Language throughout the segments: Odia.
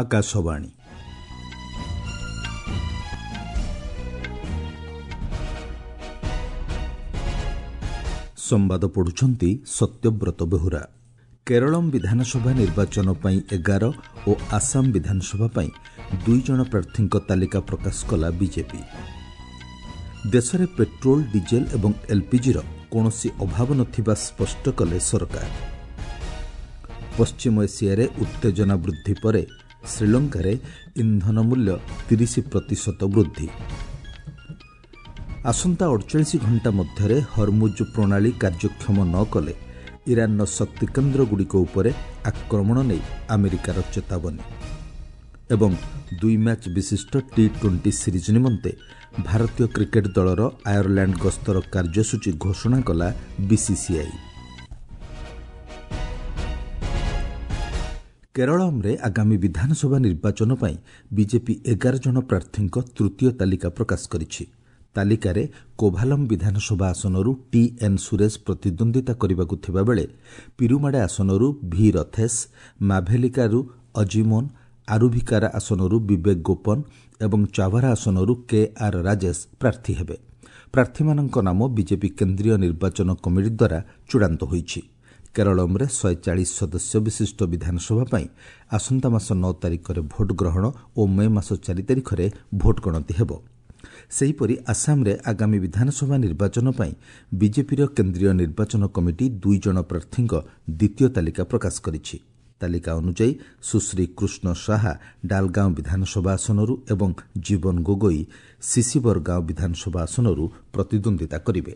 ଆକାଶବାଣୀ। ସମ୍ବାଦ ପଢୁଛନ୍ତି ସତ୍ୟବ୍ରତ ବେହୁରା। କେରଳମ୍ ବିଧାନସଭା ନିର୍ବାଚନ ପାଇଁ 11 ଓ ଆସାମ ବିଧାନସଭା ପାଇଁ 2 ଜଣ ପ୍ରାର୍ଥୀଙ୍କ ତାଲିକା ପ୍ରକାଶ କଲା ବିଜେପି। ଦେଶରେ ପେଟ୍ରୋଲ, ଡିଜେଲ ଏବଂ ଏଲ୍ପିଜିର କୌଣସି ଅଭାବ ନଥିବା ସ୍ପଷ୍ଟ କଲେ ସରକାର। ପଶ୍ଚିମ ଏସିଆରେ ଉତ୍ତେଜନା ବୃଦ୍ଧି ପରେ ଶ୍ରୀଲଙ୍କାରେ ଇନ୍ଧନ ମୂଲ୍ୟ 30% ବୃଦ୍ଧି। ଆସନ୍ତା 48 ଘଣ୍ଟା ମଧ୍ୟରେ ହରମୁଜ ପ୍ରଣାଳୀ କାର୍ଯ୍ୟକ୍ଷମ ନ କଲେ ଇରାନର ଶକ୍ତିକେନ୍ଦ୍ରଗୁଡ଼ିକ ଉପରେ ଆକ୍ରମଣ ନେଇ ଆମେରିକାର ଚେତାବନୀ। ଏବଂ 2 ମ୍ୟାଚ୍ ବିଶିଷ୍ଟ ଟି-20 ସିରିଜ୍ ନିମନ୍ତେ ଭାରତୀୟ କ୍ରିକେଟ୍ ଦଳର ଆୟର୍ଲାଣ୍ଡ ଗସ୍ତର କାର୍ଯ୍ୟସୂଚୀ ଘୋଷଣା କଲା ବିସିସିଆଇ। କେରଳମ୍ରେ ଆଗାମୀ ବିଧାନସଭା ନିର୍ବାଚନ ପାଇଁ ବିଜେପି 11 ଜଣ ପ୍ରାର୍ଥୀଙ୍କ ତୃତୀୟ ତାଲିକା ପ୍ରକାଶ କରିଛି। ତାଲିକାରେ କୋଭାଲମ୍ ବିଧାନସଭା ଆସନରୁ ଟି ଏନ୍ ସୁରେଶ ପ୍ରତିଦ୍ୱନ୍ଦ୍ୱିତା କରିବାକୁ ଥିବାବେଳେ ପିରୁମାଡେ ଆସନରୁ ଭି ରଥେଶ, ମାଭେଲିକାରୁ ଅଜିମୋନ୍, ଆରୁଭିକାରା ଆସନରୁ ବିବେକ ଗୋପନ ଏବଂ ଚାଭାରା ଆସନରୁ କେ ଆର୍ ରାଜେଶ ପ୍ରାର୍ଥୀ ହେବେ। ପ୍ରାର୍ଥୀମାନଙ୍କ ନାମ ବିଜେପି କେନ୍ଦ୍ରୀୟ ନିର୍ବାଚନ କମିଟି ଦ୍ୱାରା ଚୂଡ଼ାନ୍ତ ହୋଇଛି। କେରଳମ୍ରେ 140 ସଦସ୍ୟ ବିଶିଷ୍ଟ ବିଧାନସଭା ପାଇଁ ଆସନ୍ତା ମାସ 9 ତାରିଖରେ ଭୋଟ୍ ଗ୍ରହଣ ଓ ମେ ମାସ 4 ତାରିଖରେ ଭୋଟ୍ ଗଣତି ହେବ। ସେହିପରି ଆସାମରେ ଆଗାମୀ ବିଧାନସଭା ନିର୍ବାଚନ ପାଇଁ ବିଜେପିର କେନ୍ଦ୍ରୀୟ ନିର୍ବାଚନ କମିଟି 2 ଜଣ ପ୍ରାର୍ଥୀଙ୍କ ଦ୍ୱିତୀୟ ତାଲିକା ପ୍ରକାଶ କରିଛି। ତାଲିକା ଅନୁଯାୟୀ ସୁଶ୍ରୀ କୃଷ୍ଣ ସାହା ଡାଲଗାଁଓ ବିଧାନସଭା ଆସନରୁ ଏବଂ ଜୀବନ ଗୋଗୋଇ ସିସିବରଗାଁଓ ବିଧାନସଭା ଆସନରୁ ପ୍ରତିଦ୍ୱନ୍ଦ୍ୱିତା କରିବେ।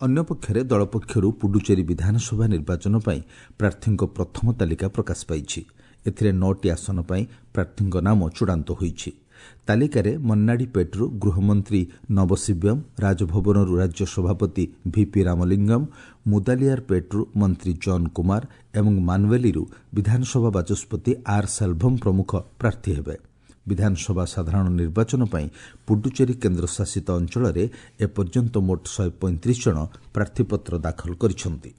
ଅନ୍ୟପକ୍ଷରେ ଦଳ ପକ୍ଷରୁ ପୁଡୁଚେରୀ ବିଧାନସଭା ନିର୍ବାଚନ ପାଇଁ ପ୍ରାର୍ଥୀଙ୍କ ପ୍ରଥମ ତାଲିକା ପ୍ରକାଶ ପାଇଛି। ଏଥିରେ 9ଟି ଆସନ ପାଇଁ ପ୍ରାର୍ଥୀଙ୍କ ନାମ ଚୂଡ଼ାନ୍ତ ହୋଇଛି। ତାଲିକାରେ ମନ୍ନାଡ଼ିପେଟ୍ରୁ ଗୃହମନ୍ତ୍ରୀ ନବଶିବ୍ୟମ୍, ରାଜଭବନରୁ ରାଜ୍ୟ ସଭାପତି ଭିପି ରାମଲିଙ୍ଗମ୍, ମୁଦାଲିଆରପେଟ୍ରୁ ମନ୍ତ୍ରୀ ଜନ୍ କୁମାର ଏବଂ ମାନୱେଲିରୁ ବିଧାନସଭା ବାଚସ୍ପତି ଆର୍ ସେଲଭମ୍ ପ୍ରମୁଖ ପ୍ରାର୍ଥୀ ହେବେ। ବିଧାନସଭା ସାଧାରଣ ନିର୍ବାଚନ ପାଇଁ ପୁଡୁଚେରୀ କେନ୍ଦ୍ରଶାସିତ ଅଞ୍ଚଳରେ ଏପର୍ଯ୍ୟନ୍ତ ମୋଟ 135 ଜଣ ପ୍ରାର୍ଥୀପତ୍ର ଦାଖଲ କରିଛନ୍ତି।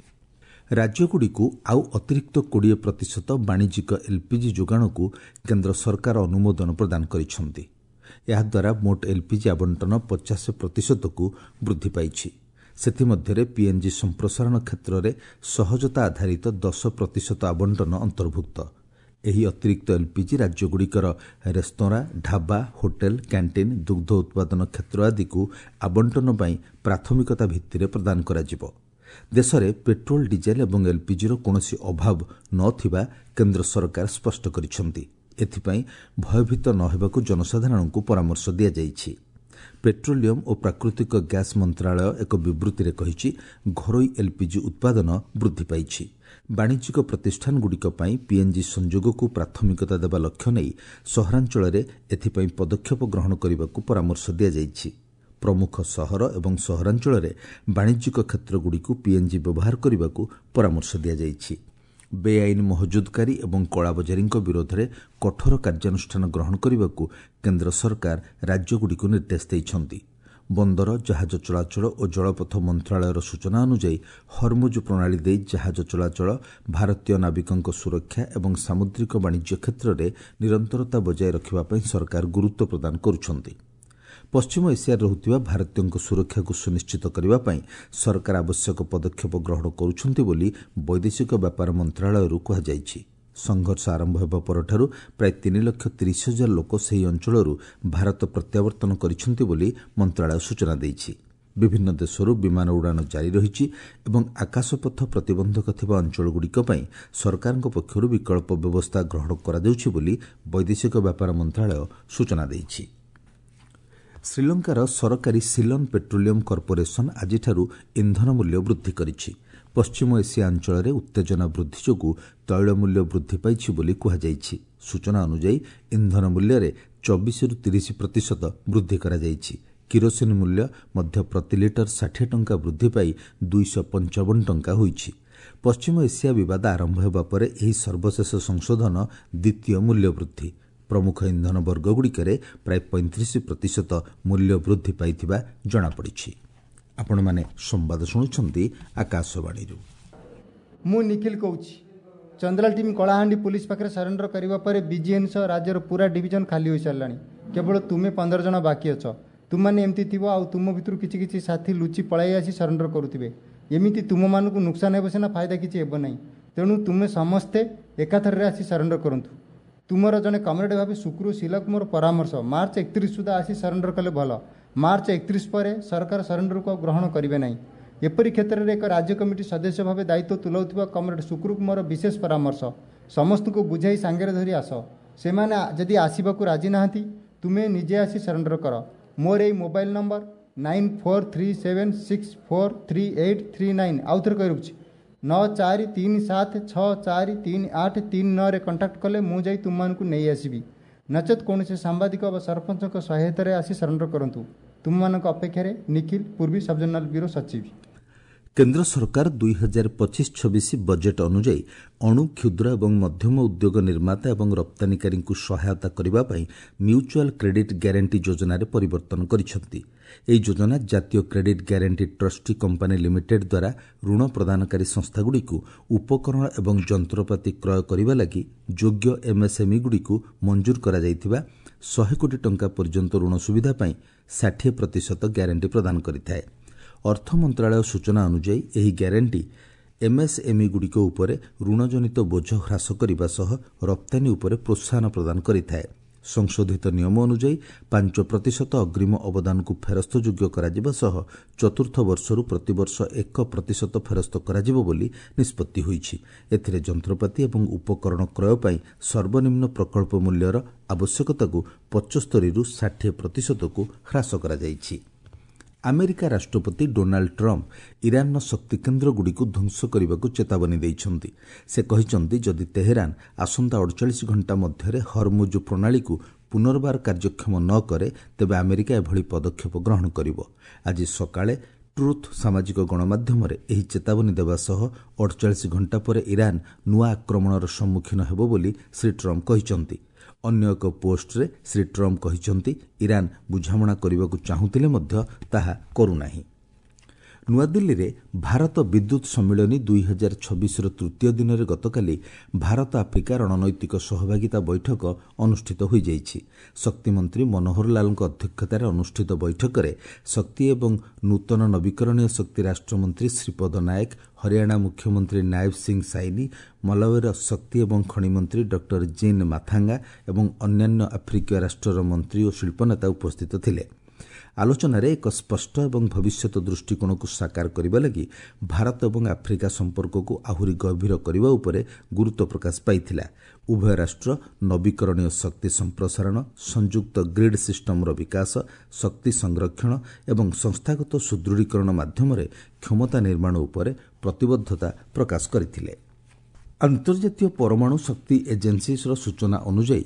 ରାଜ୍ୟଗୁଡ଼ିକୁ ଆଉ ଅତିରିକ୍ତ 20% ବାଣିଜ୍ୟିକ ଏଲ୍ପିଜି ଯୋଗାଣକୁ କେନ୍ଦ୍ର ସରକାର ଅନୁମୋଦନ ପ୍ରଦାନ କରିଛନ୍ତି। ଏହାଦ୍ୱାରା ମୋଟ ଏଲ୍ପିଜି ଆବଣ୍ଟନ 50%କୁ ବୃଦ୍ଧି ପାଇଛି। ସେଥିମଧ୍ୟରେ ପିଏନ୍ଜି ସମ୍ପ୍ରସାରଣ କ୍ଷେତ୍ରରେ ସହଜତା ଆଧାରିତ 10% ଆବଣ୍ଟନ ଅନ୍ତର୍ଭୁକ୍ତ। ଏହି ଅତିରିକ୍ତ ଏଲ୍ପିଜି ରାଜ୍ୟଗୁଡ଼ିକର ରେସ୍ତୋରାଁ, ଢାବା, ହୋଟେଲ, କ୍ୟାଣ୍ଟିନ୍, ଦୁଗ୍ଧ ଉତ୍ପାଦନ କ୍ଷେତ୍ର ଆଦିକୁ ଆବଣ୍ଟନ ପାଇଁ ପ୍ରାଥମିକତା ଭିତ୍ତିରେ ପ୍ରଦାନ କରାଯିବ। ଦେଶରେ ପେଟ୍ରୋଲ, ଡିଜେଲ ଏବଂ ଏଲ୍ପିଜିର କୌଣସି ଅଭାବ ନଥିବା କେନ୍ଦ୍ର ସରକାର ସ୍ପଷ୍ଟ କରିଛନ୍ତି। ଏଥିପାଇଁ ଭୟଭୀତ ନ ହେବାକୁ ଜନସାଧାରଣଙ୍କୁ ପରାମର୍ଶ ଦିଆଯାଇଛି। ପେଟ୍ରୋଲିୟମ ଓ ପ୍ରାକୃତିକ ଗ୍ୟାସ୍ ମନ୍ତ୍ରଣାଳୟ ଏକ ବିବୃତ୍ତିରେ କହିଛି, ଘରୋଇ ଏଲ୍ପିଜି ଉତ୍ପାଦନ ବୃଦ୍ଧି ପାଇଛି। ବାଣିଜ୍ୟିକ ପ୍ରତିଷ୍ଠାନଗୁଡ଼ିକ ପାଇଁ ପିଏନ୍ଜି ସଂଯୋଗକୁ ପ୍ରାଥମିକତା ଦେବା ଲକ୍ଷ୍ୟ ନେଇ ସହରାଞ୍ଚଳରେ ଏଥିପାଇଁ ପଦକ୍ଷେପ ଗ୍ରହଣ କରିବାକୁ ପରାମର୍ଶ ଦିଆଯାଇଛି। ପ୍ରମୁଖ ସହର ଏବଂ ସହରାଞ୍ଚଳରେ ବାଣିଜ୍ୟିକ କ୍ଷେତ୍ରଗୁଡ଼ିକୁ ପିଏନ୍ଜି ବ୍ୟବହାର କରିବାକୁ ପରାମର୍ଶ ଦିଆଯାଇଛି। ବେଆଇନ ମହଜୁଦକାରୀ ଏବଂ କଳାବଜାରୀଙ୍କ ବିରୋଧରେ କଠୋର କାର୍ଯ୍ୟାନୁଷ୍ଠାନ ଗ୍ରହଣ କରିବାକୁ କେନ୍ଦ୍ର ସରକାର ରାଜ୍ୟଗୁଡ଼ିକୁ ନିର୍ଦ୍ଦେଶ ଦେଇଛନ୍ତି। ବନ୍ଦର, ଜାହାଜ ଚଳାଚଳ ଓ ଜଳପଥ ମନ୍ତ୍ରଣାଳୟର ସୂଚନା ଅନୁଯାୟୀ ହରମୁଜ ପ୍ରଣାଳୀ ଦେଇ ଜାହାଜ ଚଳାଚଳ, ଭାରତୀୟ ନାବିକଙ୍କ ସୁରକ୍ଷା ଏବଂ ସାମୁଦ୍ରିକ ବାଣିଜ୍ୟ କ୍ଷେତ୍ରରେ ନିରନ୍ତରତା ବଜାୟ ରଖିବା ପାଇଁ ସରକାର ଗୁରୁତ୍ୱ ପ୍ରଦାନ କରୁଛନ୍ତି। ପଶ୍ଚିମ ଏସିଆରେ ରହୁଥିବା ଭାରତୀୟଙ୍କ ସୁରକ୍ଷାକୁ ସୁନିଶ୍ଚିତ କରିବା ପାଇଁ ସରକାର ଆବଶ୍ୟକ ପଦକ୍ଷେପ ଗ୍ରହଣ କରୁଛନ୍ତି ବୋଲି ବୈଦେଶିକ ବ୍ୟାପାର ମନ୍ତ୍ରଣାଳୟରୁ କୁହାଯାଇଛି। ସଂଘର୍ଷ ଆରମ୍ଭ ହେବା ପରଠାରୁ ପ୍ରାୟ 3,30,000 ଲୋକ ସେହି ଅଞ୍ଚଳରୁ ଭାରତ ପ୍ରତ୍ୟାବର୍ତ୍ତନ କରିଛନ୍ତି ବୋଲି ମନ୍ତ୍ରଣାଳୟ ସୂଚନା ଦେଇଛି। ବିଭିନ୍ନ ଦେଶରୁ ବିମାନ ଉଡ଼ାଣ ଜାରି ରହିଛି ଏବଂ ଆକାଶପଥ ପ୍ରତିବନ୍ଧକ ଥିବା ଅଞ୍ଚଳଗୁଡ଼ିକ ପାଇଁ ସରକାରଙ୍କ ପକ୍ଷରୁ ବିକଳ୍ପ ବ୍ୟବସ୍ଥା ଗ୍ରହଣ କରାଯାଉଛି ବୋଲି ବୈଦେଶିକ ବ୍ୟାପାର ମନ୍ତ୍ରଣାଳୟ ସୂଚନା ଦେଇଛି। ଶ୍ରୀଲଙ୍କାର ସରକାରୀ ସିଲନ୍ ପେଟ୍ରୋଲିୟମ କର୍ପୋରେସନ ଆଜିଠାରୁ ଇନ୍ଧନ ମୂଲ୍ୟ ବୃଦ୍ଧି କରିଛି। ପଶ୍ଚିମ ଏସିଆ ଅଞ୍ଚଳରେ ଉତ୍ତେଜନା ବୃଦ୍ଧି ଯୋଗୁଁ ତୈଳ ମୂଲ୍ୟ ବୃଦ୍ଧି ପାଇଛି ବୋଲି କୁହାଯାଇଛି। ସୂଚନା ଅନୁଯାୟୀ ଇନ୍ଧନ ମୂଲ୍ୟରେ 24ରୁ 30% ବୃଦ୍ଧି କରାଯାଇଛି। କିରୋସିନ ମୂଲ୍ୟ ମଧ୍ୟ ପ୍ରତି ଲିଟର 60 ଟଙ୍କା ବୃଦ୍ଧି ପାଇ 255 ଟଙ୍କା ହୋଇଛି। ପଶ୍ଚିମ ଏସିଆ ବିବାଦ ଆରମ୍ଭ ହେବା ପରେ ଏହି ସର୍ବଶେଷ ସଂଶୋଧନ ଦ୍ୱିତୀୟ ମୂଲ୍ୟ ବୃଦ୍ଧି। ପ୍ରମୁଖ ଇନ୍ଧନ ବର୍ଗଗୁଡ଼ିକରେ ପ୍ରାୟ 35% ମୂଲ୍ୟ ବୃଦ୍ଧି ପାଇଥିବା ଜଣାପଡ଼ିଛି। ଆପଣମାନେ ସମ୍ବାଦ ଶୁଣୁଛନ୍ତି ଆକାଶବାଣୀରୁ। ମୁଁ ନିଖିଲ କହୁଛି, ଚନ୍ଦ୍ରାଲ ଟିମ୍ କଳାହାଣ୍ଡି ପୁଲିସ ପାଖରେ ସରେଣ୍ଡର କରିବା ପରେ ବିଜିଏନ୍ ସହ ରାଜ୍ୟର ପୁରା ଡିଭିଜନ ଖାଲି ହୋଇସାରିଲାଣି। କେବଳ ତୁମେ 15 ଜଣ ବାକି ଅଛ। ତୁମମାନେ ଏମିତି ଥିବ ଆଉ ତୁମ ଭିତରୁ କିଛି କିଛି ସାଥୀ ଲୁଚି ପଳାଇ ଆସି ସରେଣ୍ଡର କରୁଥିବେ। ଏମିତି ତୁମମାନଙ୍କୁ ନୁକସାନ ହେବ ସିନା, ଫାଇଦା କିଛି ହେବ ନାହିଁ। ତେଣୁ ତୁମେ ସମସ୍ତେ ଏକାଥରରେ ଆସି ସରେଣ୍ଡର କରନ୍ତୁ। ତୁମର ଜଣେ କମ୍ରେଡ଼ ଭାବେ ଶୁକ୍ରୁ ଶିଲାକୁ ମୋର ପରାମର୍ଶ, ମାର୍ଚ୍ଚ 31 ସୁଦ୍ଧା ଆସି ସରେଣ୍ଡର କଲେ ଭଲ। ମାର୍ଚ୍ଚ 31 ପରେ ସରକାର ସରେଣ୍ଡରକୁ ଆଉ ଗ୍ରହଣ କରିବେ ନାହିଁ। ଏପରି କ୍ଷେତ୍ରରେ ଏକ ରାଜ୍ୟ କମିଟି ସଦସ୍ୟ ଭାବେ ଦାୟିତ୍ୱ ତୁଲାଉଥିବା କମ୍ରେଡ଼ ଶୁକ୍ରୁକୁ ମୋର ବିଶେଷ ପରାମର୍ଶ, ସମସ୍ତଙ୍କୁ ବୁଝାଇ ସାଙ୍ଗରେ ଧରି ଆସ। ସେମାନେ ଯଦି ଆସିବାକୁ ରାଜି ନାହାନ୍ତି, ତୁମେ ନିଜେ ଆସି ସରେଣ୍ଡର କର। ମୋର ଏଇ ମୋବାଇଲ ନମ୍ବର 9437643839, ଆଉ ଥରେ କହି ରଖୁଛି, 9437643839ରେ କଣ୍ଟାକ୍ଟ କଲେ ମୁଁ ଯାଇ ତୁମମାନଙ୍କୁ ନେଇ ଆସିବି। ନଚେତ୍ କୌଣସି ସାମ୍ବାଦିକ ବା ସରପଞ୍ଚଙ୍କ ସହାୟତାରେ ଆସି ସରେଣ୍ଡର କରନ୍ତୁ। ତୁମମାନଙ୍କ ଅପେକ୍ଷାରେ ନିଖିଲ, ପୂର୍ବୀ ସବଜୋନାଲ ବ୍ୟୁରୋ ସଚିବ। କେନ୍ଦ୍ର ସରକାର 2025-26 ବଜେଟ୍ ଅନୁଯାୟୀ ଅଣୁ, କ୍ଷୁଦ୍ର ଏବଂ ମଧ୍ୟମ ଉଦ୍ୟୋଗ ନିର୍ମାତା ଏବଂ ରପ୍ତାନୀକାରୀଙ୍କୁ ସହାୟତା କରିବା ପାଇଁ ମ୍ୟୁଚୁଆଲ୍ କ୍ରେଡିଟ୍ ଗ୍ୟାରେଣ୍ଟି ଯୋଜନାରେ ପରିବର୍ତ୍ତନ କରିଛନ୍ତି। ଏହି ଯୋଜନା ଜାତୀୟ credit guarantee trustee company limited ଦ୍ୱାରା ଋଣ ପ୍ରଦାନକାରୀ ସଂସ୍ଥାଗୁଡ଼ିକୁ ଉପକରଣ ଏବଂ ଯନ୍ତ୍ରପାତି କ୍ରୟ କରିବା ଲାଗି ଯୋଗ୍ୟ ଏମ୍ଏସ୍ଏମ୍ଇଗୁଡ଼ିକୁ ମଞ୍ଜୁର କରାଯାଇଥିବା 100 କୋଟି ଟଙ୍କା ପର୍ଯ୍ୟନ୍ତ ଋଣ ସୁବିଧା ପାଇଁ 60% ଗ୍ୟାରେଣ୍ଟି ପ୍ରଦାନ କରିଥାଏ। ଅର୍ଥ ମନ୍ତ୍ରଣାଳୟ ସୂଚନା ଅନୁଯାୟୀ ଏହି ଗ୍ୟାରେଣ୍ଟି ଏମ୍ଏସ୍ଏମ୍ଇଗୁଡ଼ିକ ଉପରେ ଋଣଜନିତ ବୋଝ ହ୍ରାସ କରିବା ସହ ରପ୍ତାନୀ ଉପରେ ପ୍ରୋତ୍ସାହନ ପ୍ରଦାନ କରିଥାଏ। ସଂଶୋଧିତ ନିୟମ ଅନୁଯାୟୀ 5% ଅଗ୍ରିମ ଅବଦାନକୁ ଫେରସ୍ତଯୋଗ୍ୟ କରାଯିବା ସହ ଚତୁର୍ଥ ବର୍ଷରୁ ପ୍ରତିବର୍ଷ 1% ଫେରସ୍ତ କରାଯିବ ବୋଲି ନିଷ୍ପତ୍ତି ହୋଇଛି। ଏଥିରେ ଯନ୍ତ୍ରପାତି ଏବଂ ଉପକରଣ କ୍ରୟ ପାଇଁ ସର୍ବନିମ୍ନ ପ୍ରକଳ୍ପ ମୂଲ୍ୟର ଆବଶ୍ୟକତାକୁ 75ରୁ 60%କୁ ହ୍ରାସ କରାଯାଇଛି। ଆମେରିକା ରାଷ୍ଟ୍ରପତି ଡୋନାଲ୍ଡ ଟ୍ରମ୍ପ ଇରାନର ଶକ୍ତିକେନ୍ଦ୍ରଗୁଡ଼ିକୁ ଧ୍ୱଂସ କରିବାକୁ ଚେତାବନୀ ଦେଇଛନ୍ତି। ସେ କହିଛନ୍ତି, ଯଦି ତେହେରାନ ଆସନ୍ତା 48 ଘଣ୍ଟା ମଧ୍ୟରେ ହରମୁଜ ପ୍ରଣାଳୀକୁ ପୁନର୍ବାର କାର୍ଯ୍ୟକ୍ଷମ ନ କରେ, ତେବେ ଆମେରିକା ଏଭଳି ପଦକ୍ଷେପ ଗ୍ରହଣ କରିବ। ଆଜି ସକାଳେ ଟ୍ରୁଥ୍ ସାମାଜିକ ଗଣମାଧ୍ୟମରେ ଏହି ଚେତାବନୀ ଦେବା ସହ 48 ଘଣ୍ଟା ପରେ ଇରାନ ନୂଆ ଆକ୍ରମଣର ସମ୍ମୁଖୀନ ହେବ ବୋଲି ଶ୍ରୀ ଟ୍ରମ୍ପ କହିଛନ୍ତି। ଅନ୍ୟ ଏକ ପୋଷ୍ଟରେ ଶ୍ରୀ ଟ୍ରମ୍ପ କହିଛନ୍ତି, ଇରାନ ବୁଝାମଣା କରିବାକୁ ଚାହୁଁଥିଲେ ମଧ୍ୟ ତାହା କରୁନାହିଁ। ନୂଆଦିଲ୍ଲୀରେ ଭାରତ ବିଦ୍ୟୁତ୍ ସମ୍ମିଳନୀ 2026ର ତୃତୀୟ ଦିନରେ ଗତକାଲି ଭାରତ ଆଫ୍ରିକା ରଣନୈତିକ ସହଭାଗିତା ବୈଠକ ଅନୁଷ୍ଠିତ ହୋଇଯାଇଛି। ଶକ୍ତିମନ୍ତ୍ରୀ ମନୋହର ଲାଲଙ୍କ ଅଧ୍ୟକ୍ଷତାରେ ଅନୁଷ୍ଠିତ ବୈଠକରେ ଶକ୍ତି ଏବଂ ନୂତନ ନବୀକରଣୀୟ ଶକ୍ତି ରାଷ୍ଟ୍ରମନ୍ତ୍ରୀ ଶ୍ରୀପଦ ନାୟକ, ହରିୟାଣା ମୁଖ୍ୟମନ୍ତ୍ରୀ ନାୟବ ସିଂ ସାଇନି, ମଲାୱିର ଶକ୍ତି ଏବଂ ଖଣିମନ୍ତ୍ରୀ ଡକ୍ଟର ଜିନ୍ ମାଥାଙ୍ଗା ଏବଂ ଅନ୍ୟାନ୍ୟ ଆଫ୍ରିକୀୟ ରାଷ୍ଟ୍ରର ମନ୍ତ୍ରୀ ଓ ଶିଳ୍ପନେତା ଉପସ୍ଥିତ ଥିଲେ। ଆଲୋଚନାରେ ଏକ ସ୍ପଷ୍ଟ ଏବଂ ଭବିଷ୍ୟତ ଦୃଷ୍ଟିକୋଣକୁ ସାକାର କରିବା ଲାଗି ଭାରତ ଏବଂ ଆଫ୍ରିକା ସମ୍ପର୍କକୁ ଆହୁରି ଗଭୀର କରିବା ଉପରେ ଗୁରୁତ୍ୱ ପ୍ରକାଶ ପାଇଥିଲା। ଉଭୟ ରାଷ୍ଟ୍ର ନବୀକରଣୀୟ ଶକ୍ତି ସମ୍ପ୍ରସାରଣ, ସଂଯୁକ୍ତ ଗ୍ରିଡ୍ ସିଷ୍ଟମର ବିକାଶ, ଶକ୍ତି ସଂରକ୍ଷଣ ଏବଂ ସଂସ୍ଥାଗତ ସୁଦୃଢ଼ୀକରଣ ମାଧ୍ୟମରେ କ୍ଷମତା ନିର୍ମାଣ ଉପରେ ପ୍ରତିବଦ୍ଧତା ପ୍ରକାଶ କରିଥିଲେ। ଆନ୍ତର୍ଜାତୀୟ ପରମାଣୁ ଶକ୍ତି ଏଜେନ୍ସିର ସୂଚନା ଅନୁଯାୟୀ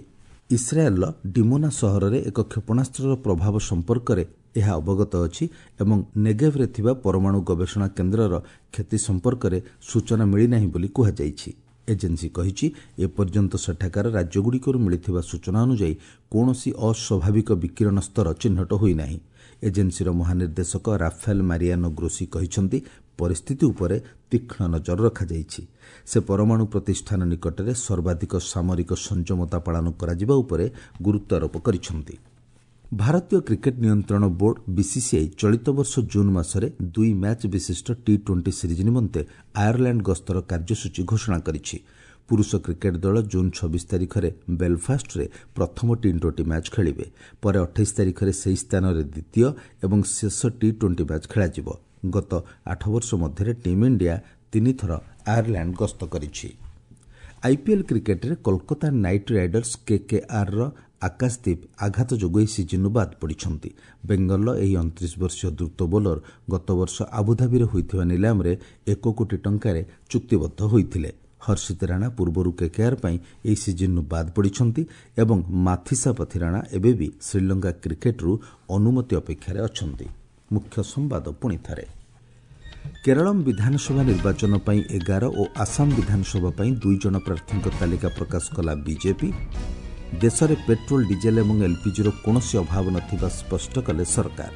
ଇସ୍ରାଏଲ୍ର ଡିମୋନା ସହରରେ ଏକ କ୍ଷେପଣାସ୍ତ୍ରର ପ୍ରଭାବ ସମ୍ପର୍କରେ ଏହା ଅବଗତ ଅଛି ଏବଂ ନେଗେଭରେ ଥିବା ପରମାଣୁ ଗବେଷଣା କେନ୍ଦ୍ରର କ୍ଷତି ସମ୍ପର୍କରେ ସୂଚନା ମିଳିନାହିଁ ବୋଲି କୁହାଯାଇଛି। ଏଜେନ୍ସି କହିଛି, ଏପର୍ଯ୍ୟନ୍ତ ସେଠାକାର ରାଜ୍ୟଗୁଡ଼ିକରୁ ମିଳିଥିବା ସୂଚନା ଅନୁଯାୟୀ କୌଣସି ଅସ୍ୱାଭାବିକ ବିକିରଣ ସ୍ତର ଚିହ୍ନଟ ହୋଇନାହିଁ। ଏଜେନ୍ସିର ମହାନିର୍ଦ୍ଦେଶକ ରାଫେଲ ମାରିଆନୋ ଗ୍ରୋସି କହିଛନ୍ତି, ପରିସ୍ଥିତି ଉପରେ ତୀକ୍ଷ୍ଣ ନଜର ରଖାଯାଇଛି। ସେ ପରମାଣୁ ପ୍ରତିଷ୍ଠାନ ନିକଟରେ ସର୍ବାଧିକ ସାମରିକ ସଂଯମତା ପାଳନ କରାଯିବା ଉପରେ ଗୁରୁତ୍ୱାରୋପ କରିଛନ୍ତି। ଭାରତୀୟ କ୍ରିକେଟ୍ ନିୟନ୍ତ୍ରଣ ବୋର୍ଡ ବିସିସିଆଇ ଚଳିତ ବର୍ଷ ଜୁନ୍ ମାସରେ 2 ମ୍ୟାଚ୍ ବିଶିଷ୍ଟ ଟି-20 ସିରିଜ୍ ନିମନ୍ତେ ଆୟାରଲ୍ୟାଣ୍ଡ ଗସ୍ତର କାର୍ଯ୍ୟସୂଚୀ ଘୋଷଣା କରିଛି। ପୁରୁଷ କ୍ରିକେଟ୍ ଦଳ ଜୁନ୍ 26 ତାରିଖରେ ବେଲଫାଷ୍ଟରେ ପ୍ରଥମ ଟି-20 ମ୍ୟାଚ୍ ଖେଳିବେ। ପରେ 28 ତାରିଖରେ ସେହି ସ୍ଥାନରେ ଦ୍ୱିତୀୟ ଏବଂ ଶେଷ ଟି-20 ମ୍ୟାଚ୍ ଖେଳାଯିବ। ଗତ 8 ବର୍ଷ ମଧ୍ୟରେ ଟିମ୍ ଇଣ୍ଡିଆ 3 ଥର ଆୟାରଲ୍ୟାଣ୍ଡ ଗସ୍ତ କରିଛି। ଆଇପିଏଲ୍ କ୍ରିକେଟ୍ରେ କୋଲକାତା ନାଇଟ୍ ରାଇଡର୍ସ କେକେଆର୍ର ଆକାଶଦୀପ ଆଘାତ ଯୋଗୁଁ ଏହି ସିଜିନ୍ରୁ ବାଦ୍ ପଡ଼ିଛନ୍ତି। ବେଙ୍ଗଲର ଏହି 29 ବର୍ଷୀୟ ଦ୍ରୁତ ବୋଲର ଗତବର୍ଷ ଆବୁଧାବିରେ ହୋଇଥିବା ନିଲାମରେ 1 କୋଟି ଟଙ୍କାରେ ଚୁକ୍ତିବଦ୍ଧ ହୋଇଥିଲେ। ହର୍ଷିତ ରାଣା ପୂର୍ବରୁ କେକେଆର୍ ପାଇଁ ଏହି ସିଜିନ୍ରୁ ବାଦ୍ ପଡ଼ିଛନ୍ତି ଏବଂ ମାଥିସା ପଥିରାଣା ଏବେ ବି ଶ୍ରୀଲଙ୍କା କ୍ରିକେଟ୍ରୁ ଅନୁମତି ଅପେକ୍ଷାରେ ଅଛନ୍ତି। ମୁଖ୍ୟ ସମ୍ବାଦ ପୁଣି ଥରେ। କେରଳମ୍ ବିଧାନସଭା ନିର୍ବାଚନ ପାଇଁ 11 ଓ ଆସାମ ବିଧାନସଭା ପାଇଁ 2 ଜଣ ପ୍ରାର୍ଥୀଙ୍କ ତାଲିକା ପ୍ରକାଶ କଲା ବିଜେପି। ଦେଶରେ ପେଟ୍ରୋଲ, ଡିଜେଲ ଏବଂ ଏଲ୍ପିଜିର କୌଣସି ଅଭାବ ନଥିବା ସ୍ପଷ୍ଟ କଲେ ସରକାର।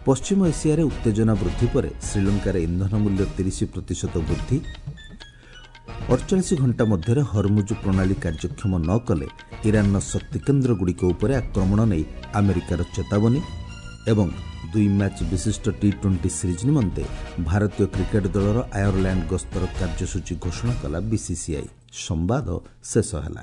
ପଶ୍ଚିମ ଏସିଆରେ ଉତ୍ତେଜନା ବୃଦ୍ଧି ପରେ ଶ୍ରୀଲଙ୍କାରେ ଇନ୍ଧନ ମୂଲ୍ୟ 30% ବୃଦ୍ଧି। 48 ଘଣ୍ଟା ମଧ୍ୟରେ ହରମୁଜ ପ୍ରଣାଳୀ କାର୍ଯ୍ୟକ୍ଷମ ନ କଲେ ଇରାନର ଶକ୍ତିକେନ୍ଦ୍ରଗୁଡ଼ିକ ଉପରେ ଆକ୍ରମଣ ନେଇ ଆମେରିକାର ଚେତାବନୀ। ଏବଂ 2 ମ୍ୟାଚ୍ ବିଶିଷ୍ଟ ଟି-20 ସିରିଜ୍ ନିମନ୍ତେ ଭାରତୀୟ କ୍ରିକେଟ୍ ଦଳର ଆୟରଲ୍ୟାଣ୍ଡ ଗସ୍ତର କାର୍ଯ୍ୟସୂଚୀ ଘୋଷଣା କଲା ବିସିସିଆଇ। ସମ୍ବାଦ ଶେଷ ହେଲା।